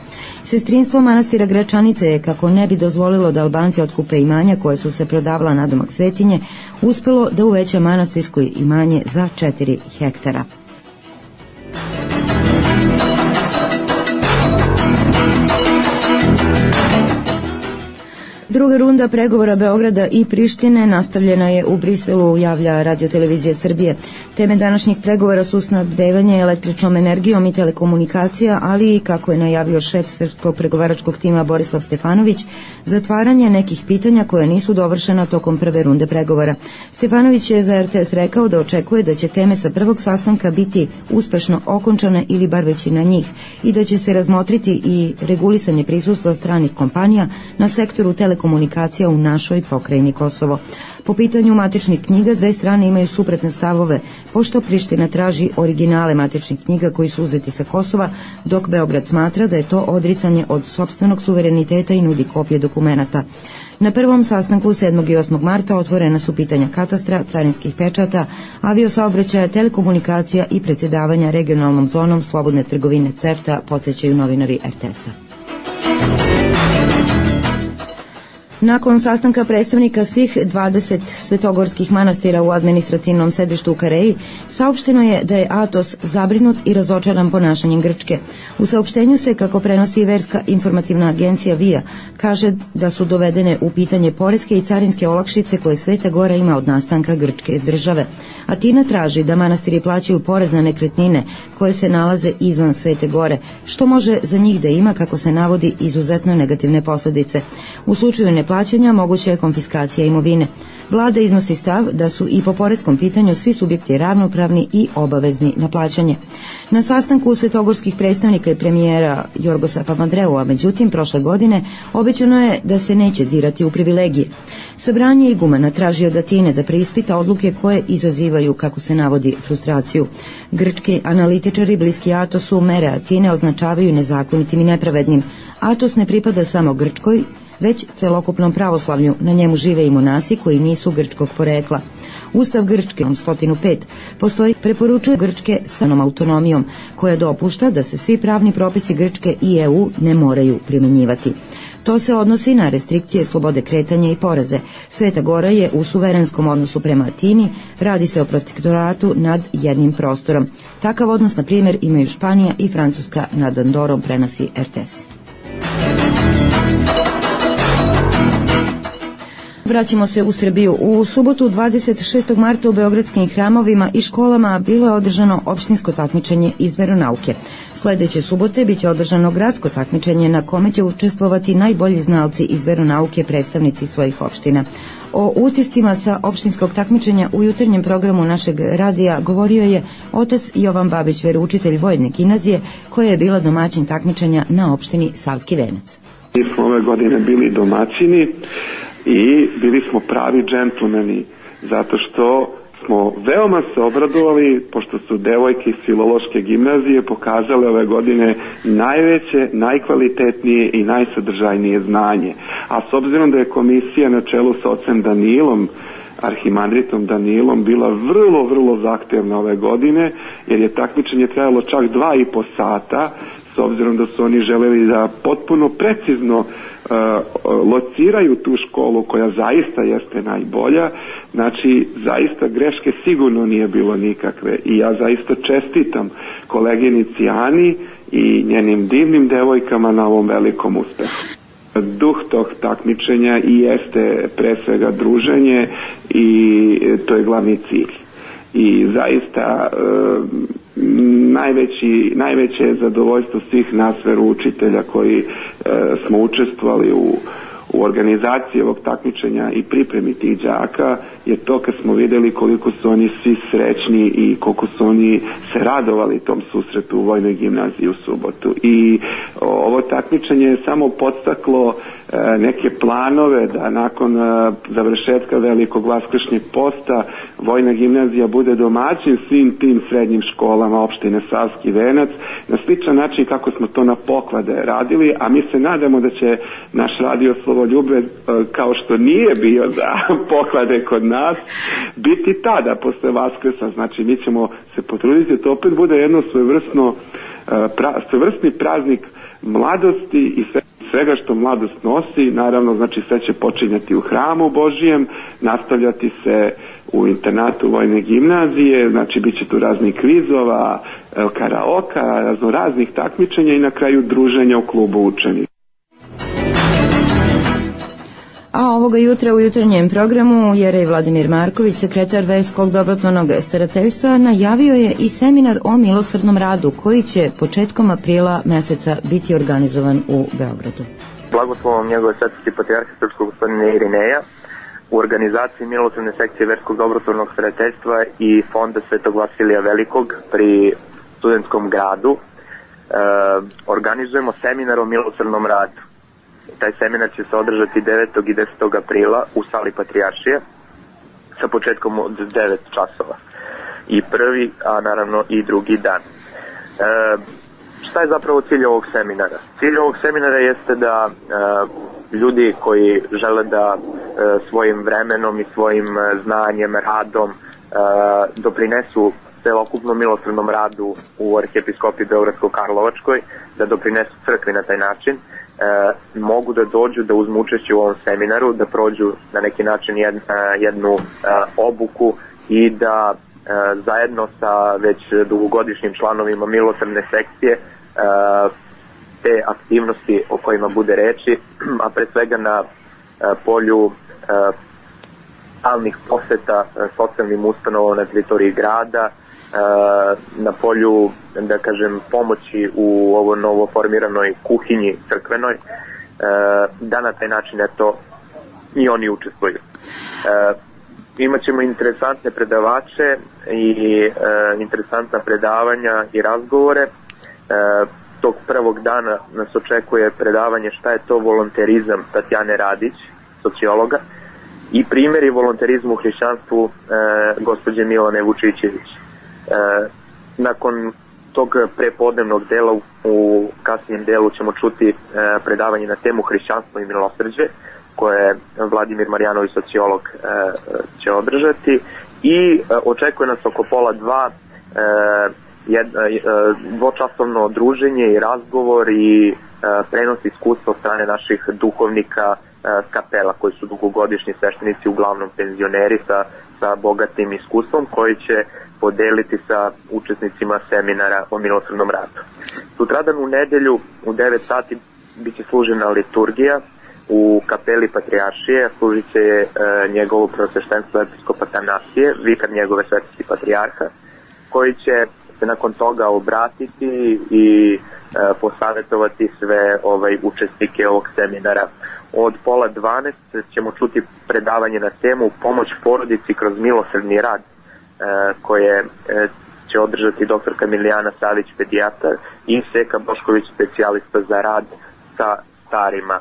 Sestrinstvo manastira Gračanice je, kako ne bi dozvolilo da Albanci otkupe imanja koje su se prodavala nadomak svetinje, uspelo da uveća manastirsko imanje za 4 hektara. Druga runda pregovora Beograda i Prištine nastavljena je u Briselu, javlja Radio-televizija Srbije. Teme današnjih pregovora su snabdevanje električnom energijom i telekomunikacija, ali i, kako je najavio šef srpskog pregovaračkog tima Borislav Stefanović, zatvaranje nekih pitanja koja nisu dovršena tokom prve runde pregovora. Stefanović je za RTS rekao da očekuje da će teme sa prvog sastanka biti uspešno okončane ili bar većina njih i da će se razmotriti i regulisanje prisustva stranih kompanija na sektoru telekomunikacija u našoj pokrajini Kosovo. Po pitanju matičnih knjiga dve strane imaju suprotne stavove, pošto Priština traži originale matičnih knjiga koji su uzeti sa Kosova, dok Beograd smatra da je to odricanje od sopstvenog suvereniteta i nudi kopije dokumenata. Na prvom sastanku 7. i 8. marta otvorena su pitanja katastra, carinskih pečata, aviosaobraćaja, telekomunikacija i predsjedavanja regionalnom zonom slobodne trgovine CEFTA, podsjećaju novinari RTS-a. Nakon sastanka predstavnika svih 20 svetogorskih manastira u administrativnom sedištu u Kareji, saopšteno je da je Atos zabrinut i razočaran ponašanjem Grčke. U saopštenju se, kako prenosi verska informativna agencija VIA, kaže da su dovedene u pitanje poreske i carinske olakšice koje Sveta Gora ima od nastanka grčke države. Atina traži da manastiri plaćaju porez na nekretnine koje se nalaze izvan Svete Gore, što može za njih da ima, kako se navodi, izuzetno negativne posljedice. U slučaju neplaćanja moguća je konfiskacija imovine. Vlada iznosi stav da su i po poreskom pitanju svi subjekti ravnopravni i obavezni na plaćanje. Na sastanku svetogorskih predstavnika i premijera Jorgosa Papandreua, međutim, prošle godine obećano je da se neće dirati u privilegije. Sabranje igumana traži od Atine da preispita odluke koje izazivaju, kako se navodi, frustraciju. Grčki analitičari bliski Atosu mere Atine označavaju nezakonitim i nepravednim. Atos ne pripada samo Grčkoj, već celokupnom pravoslavlju. Na njemu žive i monasi koji nisu grčkog porekla. Ustav Grčke 105 postoji, preporučuje Grčke sa autonomijom, koja dopušta da se svi pravni propisi Grčke i EU ne moraju primjenjivati. To se odnosi na restrikcije slobode kretanja i poreze. Sveta Gora je u suverenskom odnosu prema Atini, radi se o protektoratu nad jednim prostorom. Takav odnos, na primjer, imaju Španija i Francuska nad Andorom, prenosi RTS. Vraćamo se u Srbiju. U subotu 26. marta u beogradskim hramovima i školama bilo je održano opštinsko takmičenje iz veronauke. Sledeće subote biće održano gradsko takmičenje na kome će učestvovati najbolji znalci iz veronauke, predstavnici svojih opština. O utiscima sa opštinskog takmičenja u jutarnjem programu našeg radija govorio je otac Jovan Babić, veroučitelj Vojne gimnazije, koja je bila domaćin takmičenja na opštini Savski Venac. Mi smo ove godine bili domaćini i bili smo pravi džentlmeni, zato što smo veoma se obradovali, pošto su devojke iz Filološke gimnazije pokazale ove godine najveće, najkvalitetnije i najsadržajnije znanje. A s obzirom da je komisija na čelu sa ocem Danilom, arhimandritom Danilom, bila vrlo zahtevna ove godine, jer je takmičenje trajalo čak 2,5 sata, s obzirom da su oni želeli da potpuno precizno lociraju tu školu koja zaista jeste najbolja. Znači, zaista greške sigurno nije bilo nikakve i ja zaista čestitam koleginici Ani i njenim divnim devojkama na ovom velikom uspehu. Duh tog takmičenja i jeste pre svega druženje i to je glavni cilj. I zaista najveće zadovoljstvo svih nas veroučitelja koji smo učestvovali u organizaciji ovog takmičenja i pripremi tih đaka je to kad smo videli koliko su oni svi srećni i koliko su oni se radovali tom susretu u Vojnoj gimnaziji u subotu. I ovo takmičenje je samo podstaklo neke planove da nakon završetka velikog vaskršnjeg posta Vojna gimnazija bude domaćin svim tim srednjim školama opštine Savski Venac na sličan način kako smo to na Poklade radili, a mi se nadamo da će naš radio Slovoljube, kao što nije bio za Poklade kod nas, biti tada posle Vaskrsa. Znači mi ćemo se potruditi da to opet bude jedno svojevrsni praznik mladosti i svega što mladost nosi. Naravno, znači sve će počinjati u hramu Božijem, nastavljati se u internatu Vojne gimnazije, znači bit će tu raznih kvizova, karaoka, raznoraznih takmičenja i na kraju druženja u klubu učenika. A ovoga jutra u jutarnjem programu Jerej Vladimir Marković, sekretar Verskog dobrotvornog starateljstva, najavio je i seminar o milosrdnom radu koji će početkom aprila meseca biti organizovan u Beogradu. Blagoslovom njegove svetosti patrijarha srpskog gospodina Irineja u organizaciji milosrdne sekcije Verskog dobrotvornog starateljstva i fonda Svetog Vasilija Velikog pri Studentskom gradu organizujemo seminar o milosrdnom radu. Taj seminar će se održati 9. i 10. aprila u sali Patrijaršije sa početkom od 9 časova. I prvi, a naravno i drugi dan. Šta je zapravo cilj ovog seminara? Cilj ovog seminara jeste da ljudi koji žele da svojim vremenom i svojim znanjem, radom doprinesu celokupnom milosrdnom radu u Arhijepiskopiji Beogradsko-Karlovačkoj, da doprinesu crkvi na taj način, mogu da dođu, da uzmu učešće u ovom seminaru, da prođu na neki način jednu obuku i da zajedno sa već dugogodišnjim članovima milosrdne sekcije te aktivnosti o kojima bude reči, a pre svega na polju stalnih poseta socijalnim ustanovama na teritoriji grada, na polju, da kažem, pomoći u ovo novo formiranoj kuhinji crkvenoj, da na taj način eto i oni učestvuju. Imaćemo interesantne predavače i interesantna predavanja i razgovore. Tog prvog dana nas očekuje predavanje šta je to volonterizam Tatjane Radić, sociologa, i primjeri volonterizmu u hrišćanstvu gospođe Milane Vučićević. Nakon tog prepodnevnog dela u kasnijem delu ćemo čuti predavanje na temu hrišćanstvo i milosrđe koje Vladimir Marjanović, sociolog, će održati, i očekuje nas oko 1:30 dvočasovno druženje i razgovor i prenos iskustva od strane naših duhovnika kapela koji su dugogodišnji sveštenici, uglavnom penzioneri sa bogatim iskustvom, koji će podeliti sa učesnicima seminara o milosrdnom radu. Sutradan u nedelju u 9 sati biće služena liturgija u kapeli Patrijaršije služit će njegovo preosveštenstvo episkop Atanasije, vikar njegove svetosti patrijarha, koji će se nakon toga obratiti i posavjetovati sve učesnike ovog seminara. Od 11:30 ćemo čuti predavanje na temu Pomoć porodici kroz milosrdni rad, koje će održati doktorka Milijana Savić, pedijatar, i Seka Bošković, specijalista za rad sa starima.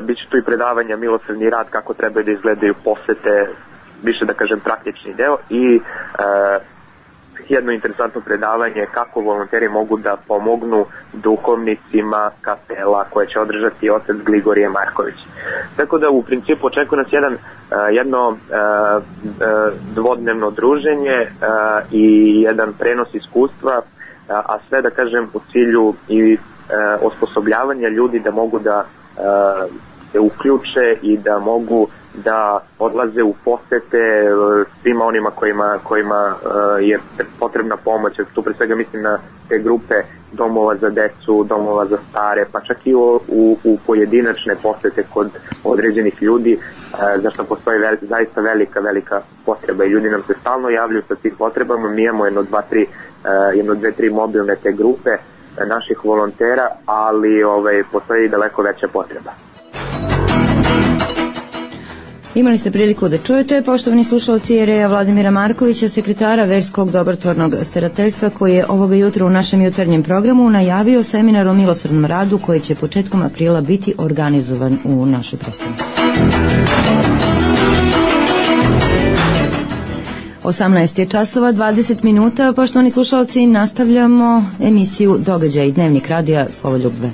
Biće tu i predavanja milosrdni rad, kako trebaju da izgledaju posete, više da kažem praktični deo, i jedno interesantno predavanje kako volonteri mogu da pomognu duhovnicima kapela, koje će održati otac Gligorije Marković. Tako da u principu očekuje nas jedno dvodnevno druženje i jedan prenos iskustva, a sve da kažem u cilju i osposobljavanja ljudi da mogu da se uključe i da mogu da odlaze u posete svima onima kojima je potrebna pomoć. Tu pre svega mislim na te grupe domova za decu, domova za stare, pa čak i u pojedinačne posete kod određenih ljudi, zašto postoji zaista velika potreba i ljudi nam se stalno javljaju sa tim potrebama. Mi imamo jedno, dve, tri mobilne te grupe naših volontera, ali postoji i daleko veća potreba. Imali ste priliku da čujete, poštovani slušalci, jereja Vladimira Markovića, sekretara Verskog dobrotvornog starateljstva, koji je ovoga jutra u našem jutarnjem programu najavio seminar o milosrdnom radu koji će početkom aprila biti organizovan u našoj prestonici. 18 je časova, 20 minuta. Poštovani slušalci, nastavljamo emisiju Događaj, dnevnik radija Slovoljub V.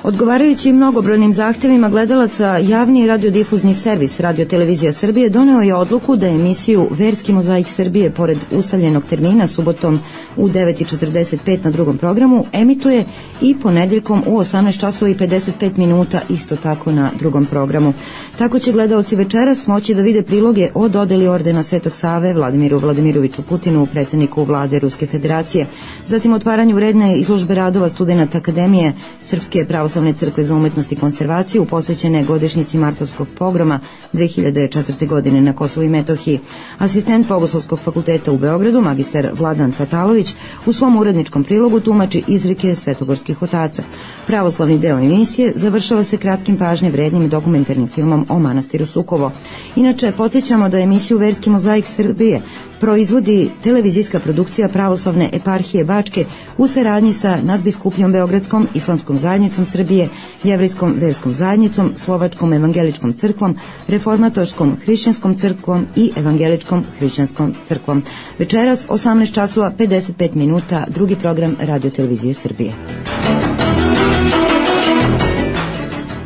Odgovarajući mnogobrojnim zahtevima gledalaca, javni radiodifuzni servis Radio-televizija Srbije doneo je odluku da emisiju Verski mozaik Srbije, pored ustaljenog termina, subotom u 9:45 na drugom programu, emituje i ponedjeljkom u 18 časova i 55 minuta isto tako na drugom programu. Tako će gledalci večeras moći da vide priloge o dodeli ordena Svetog Save Vladimiru Vladimiroviću Putinu, predsjedniku vlade Ruske federacije, zatim otvaranju vredne izložbe radova studenata Akademije Srpske pravoslavne crkve za umetnost i konservaciju posvećene godišnjici Martovskog pogroma 2004. godine na Kosovu i Metohiji. Asistent Bogoslovskog fakulteta u Beogradu, magistar Vladan Tatalović, u svom uredničkom prilogu tumači izreke svetogorskih otaca. Pravoslavni deo emisije završava se kratkim pažnje vrednim dokumentarnim filmom o manastiru Sukovo. Inače, podsjećamo da emisiju Verski mozaik Srbije proizvodi televizijska produkcija Pravoslavne eparhije Bačke u saradnji sa Nadbiskupijom Beogradskom, Islamskom zajednicom Srbije, Jevrejskom verskom zajednicom, Slovačkom evangeličkom crkvom, Reformatorskom hrišćanskom crkvom i Evangeličkom hrišćanskom crkvom. Večeras 18 časova 55 minuta, drugi program Radio-televizije Srbije.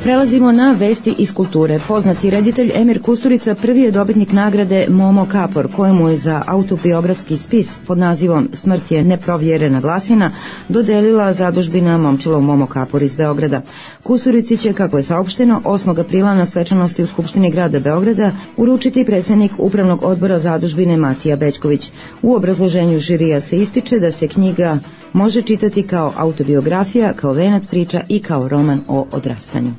Prelazimo na vesti iz kulture. Poznati reditelj Emir Kusturica prvi je dobitnik nagrade Momo Kapor, kojemu je za autobiografski spis pod nazivom Smrt je neprovjerena glasina dodelila zadužbina Momčilov Momo Kapor iz Beograda. Kusturici će, kako je saopšteno, 8. aprila na svečanosti u Skupštini grada Beograda uručiti predsjednik Upravnog odbora zadužbine Matija Bećković. U obrazloženju žirija se ističe da se knjiga može čitati kao autobiografija, kao venac priča i kao roman o odrastanju.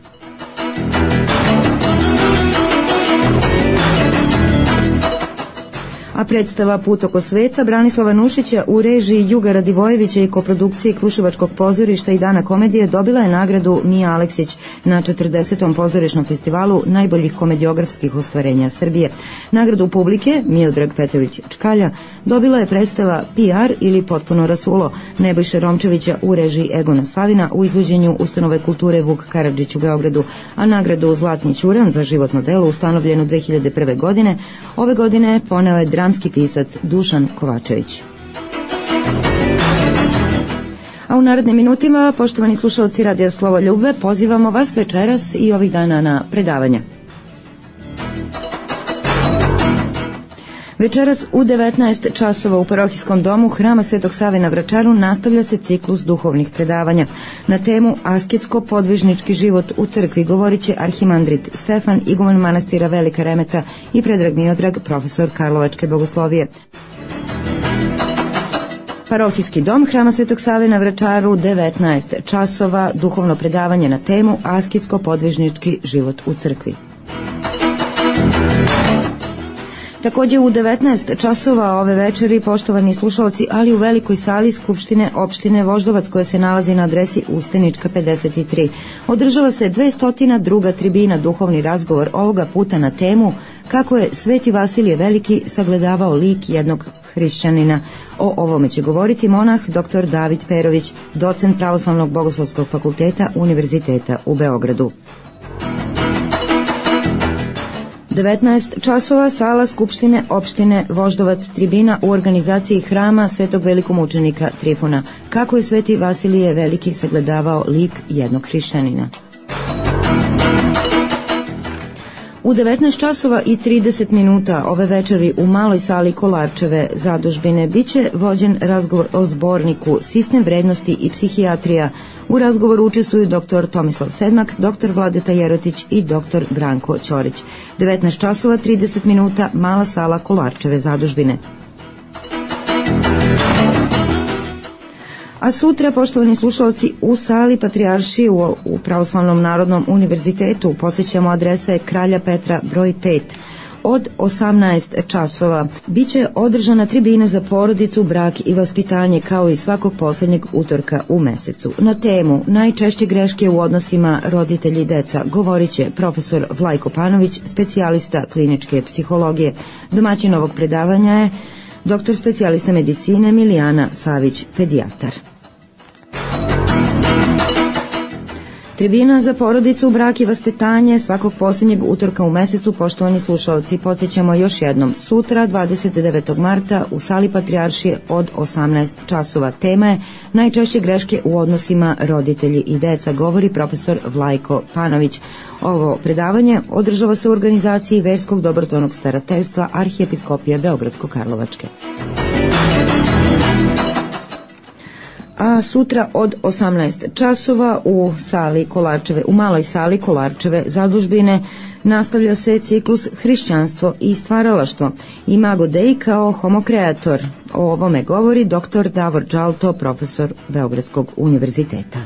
A predstava Put oko sveta Branislava Nušića u režiji Juga Radivojevića i koprodukciji Kruševačkog pozorišta i Dana komedije dobila je nagradu Mija Aleksić na 40. pozorišnom festivalu najboljih komediografskih ostvarenja Srbije. Nagradu publike Miodrag Petrović Čkalja dobila je predstava PR ili Potpuno rasulo Nebojše Romčevića u režiji Egona Savina u izvođenju Ustanove kulture Vuk Karadžić u Beogradu, a nagradu Zlatni ćuran za životno delo ustanovljenu 2001. godine ove godine poneo je dramski pisac Dušan Kovačević. A u narednim minutima, poštovani slušalci Radija Slovoljub V, pozivamo vas večeras i ovih dana na predavanja. Večeras u 19 časova u parohijskom domu Hrama Svetog Save na Vračaru nastavlja se ciklus duhovnih predavanja. Na temu Asketsko-podvižnički život u crkvi govorit će arhimandrit Stefan, iguman manastira Velika Remeta i Predrag Miodrag, profesor Karlovačke bogoslovije. Parohijski dom Hrama Svetog Save na Vračaru, 19 časova, duhovno predavanje na temu Asketsko-podvižnički život u crkvi. Također u 19 časova ove večeri, poštovani slušalci, ali u velikoj sali Skupštine opštine Voždovac koja se nalazi na adresi Ustenička 53. Održava se 202. tribina, duhovni razgovor, ovoga puta na temu kako je Sveti Vasilije Veliki sagledavao lik jednog hrišćanina. O ovome će govoriti monah dr. David Perović, docent Pravoslavnog bogoslovskog fakulteta Univerziteta u Beogradu. 19 časova, sala Skupštine opštine Voždovac, tribina u organizaciji Hrama Svetog velikomučenika Trifuna. Kako je Sveti Vasilije Veliki sagledavao lik jednog hrišćanina. U 19 časova i 30 minuta ove večeri u maloj sali Kolarčeve zadužbine biće vođen razgovor o zborniku Sistem vrednosti i psihijatrija. U razgovoru učestvuju dr. Tomislav Sedmak, dr. Vladeta Jerotić i dr. Branko Ćorić. 19 časova 30 minuta, mala sala Kolarčeve zadužbine. A sutra, poštovani slušalci, u sali Patrijaršije u Pravoslavnom narodnom univerzitetu, podsjećamo, adresa je Kralja Petra broj 5. Od 18 časova biće održana tribina za porodicu, brak i vaspitanje, kao i svakog posljednjeg utorka u mesecu. Na temu najčešće greške u odnosima roditelji i deca govorit će profesor Vlajko Panović, specijalista kliničke psihologije. Domaćin ovog predavanja je doktor specijalista medicine Milijana Savić, pedijatar. Tribina za porodicu, brak i vaspitanje svakog posljednjeg utorka u mesecu, poštovani slušalci, podsjećamo još jednom, sutra 29. marta u sali Patrijaršije od 18 časova. Tema je najčešće greške u odnosima roditelji i deca, govori profesor Vlajko Panović. Ovo predavanje održava se u organizaciji Verskog dobrotvornog starateljstva Arhijepiskopije Beogradsko-Karlovačke. A sutra od 18 časova u sali Kolarčeve, u maloj sali Kolarčeve zadužbine nastavlja se ciklus Hrišćanstvo i stvaralaštvo. Imago Dei kao homokreator. O ovome govori dr. Davor Đalto, profesor Beogradskog univerziteta.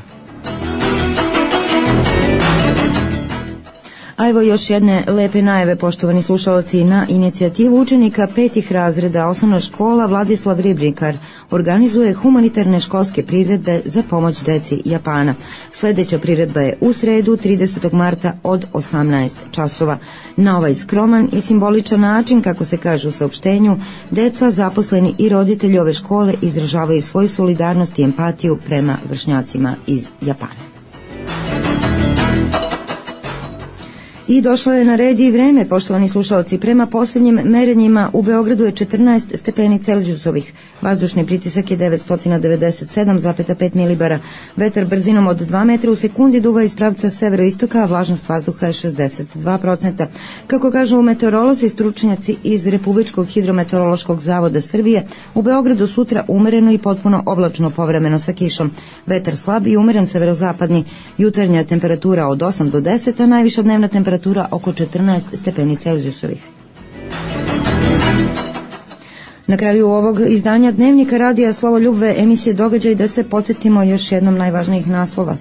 A evo još jedne lepe najave, poštovani slušalci. Na inicijativu učenika 5. razreda osnovna škola Vladislav Ribnikar organizuje humanitarne školske priredbe za pomoć deci Japana. Sljedeća priredba je u sredu 30. marta od 18 časova. Na ovaj skroman i simboličan način, kako se kaže u saopštenju, deca, zaposleni i roditelji ove škole izražavaju svoju solidarnost i empatiju prema vršnjacima iz Japana. I došlo je na red i vreme, poštovani slušalci. Prema posljednjim merenjima u Beogradu je 14 stepeni Celzijusovih. Vazdušni pritisak je 997,5 milibara. Vetar brzinom od 2 metra u sekundi duva iz pravca severoistoka, a vlažnost vazduha je 62%. Kako kažu meteorolozi i stručnjaci iz Republičkog hidrometeorološkog zavoda Srbije, u Beogradu sutra umereno i potpuno oblačno, povremeno sa kišom. Vetar slab i umeren severozapadni. Jutarnja temperatura od 8 do 10, a najviša dnevna temperatura oko 14 stepeni Celzijusovih. Na kraju ovog izdanja Dnevnika radija Slovoljubve emisije Događaj da se podsjetimo još jednom najvažnijih naslova.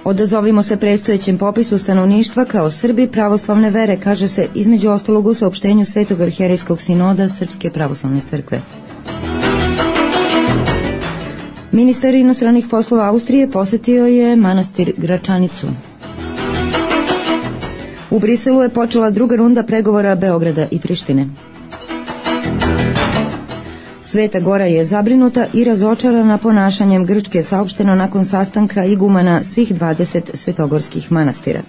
Odazovimo se predstojećem popisu stanovništva kao Srbi pravoslavne vere, kaže se između ostalog u saopštenju Svetog arhijerejskog sinoda Srpske pravoslavne crkve. Ministar inostranih poslova Austrije posjetio je manastir Gračanicu. U Briselu je počela druga runda pregovora Beograda i Prištine. Sveta Gora je zabrinuta i razočarana ponašanjem Grčke, saopšteno nakon sastanka igumana svih 20 svetogorskih manastira.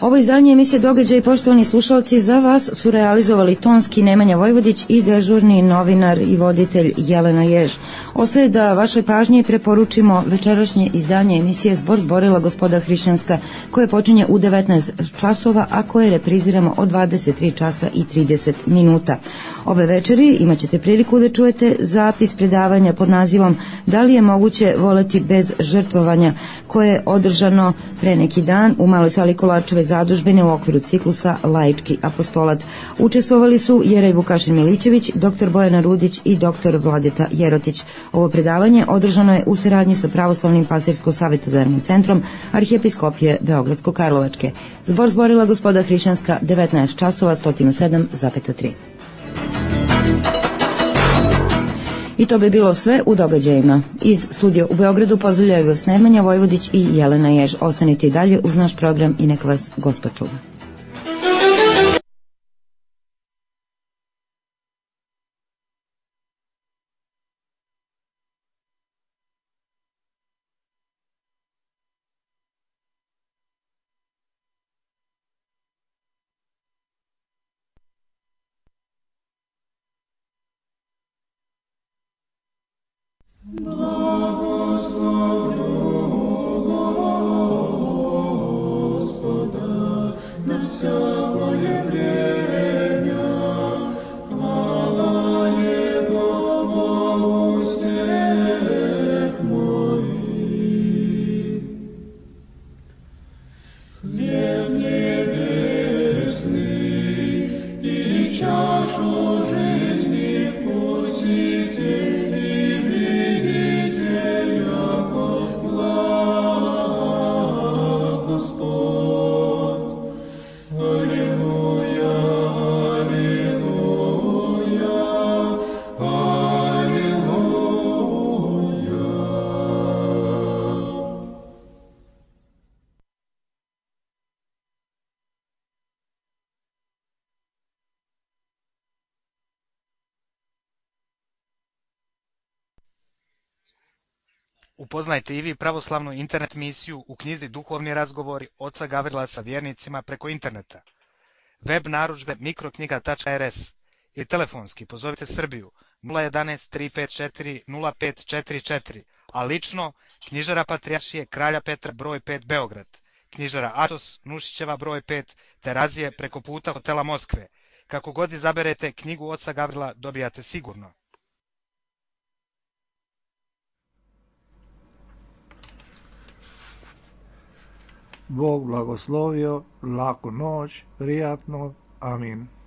Ovo izdanje emisije Događaj, poštovani slušalci, za vas su realizovali tonski Nemanja Vojvodić i dežurni novinar i voditelj Jelena Jež. Ostaje da vašoj pažnji preporučimo večerašnje izdanje emisije Zbor zborila gospoda hrišćanska, koje počinje u 19 časova, a koje repriziramo od 23 časa i 30 minuta. Ove večeri imat ćete priliku da čujete zapis predavanja pod nazivom Da li je moguće voleti bez žrtvovanja, koje je održano pre neki dan u maloj sali Kolarčeve zadužbine u okviru ciklusa Laički apostolat. Učestvovali su Jerej Vukašin Milićević, dr. Bojana Rudić i dr. Vladeta Jerotić. Ovo predavanje održano je u saradnji sa Pravoslavnim pastirsko-savjetodavnim centrom Arhijepiskopije Beogradsko-Karlovačke. Zbor zborila gospoda hrišćanska 19 časova 107,3. I to bi bilo sve u događajima. Iz studija u Beogradu pozdravljaju vas Nemanja Vojvodić i Jelena Jež. Ostanite i dalje uz naš program i nek vas Gospod čuva. Upoznajte i vi pravoslavnu internet misiju u knjizi Duhovni razgovori oca Gavrila sa vjernicima preko interneta. Web narudžbe mikroknjiga.rs ili telefonski pozovite Srbiju 011 354 0544, a lično knjižara Patrijaršije Kralja Petra broj 5 Beograd, knjižara Atos Nušićeva broj 5 Terazije preko puta hotela Moskve. Kako god izaberete knjigu oca Gavrila dobijate sigurno. Bog blagoslovio, laku noć, prijatno, amin.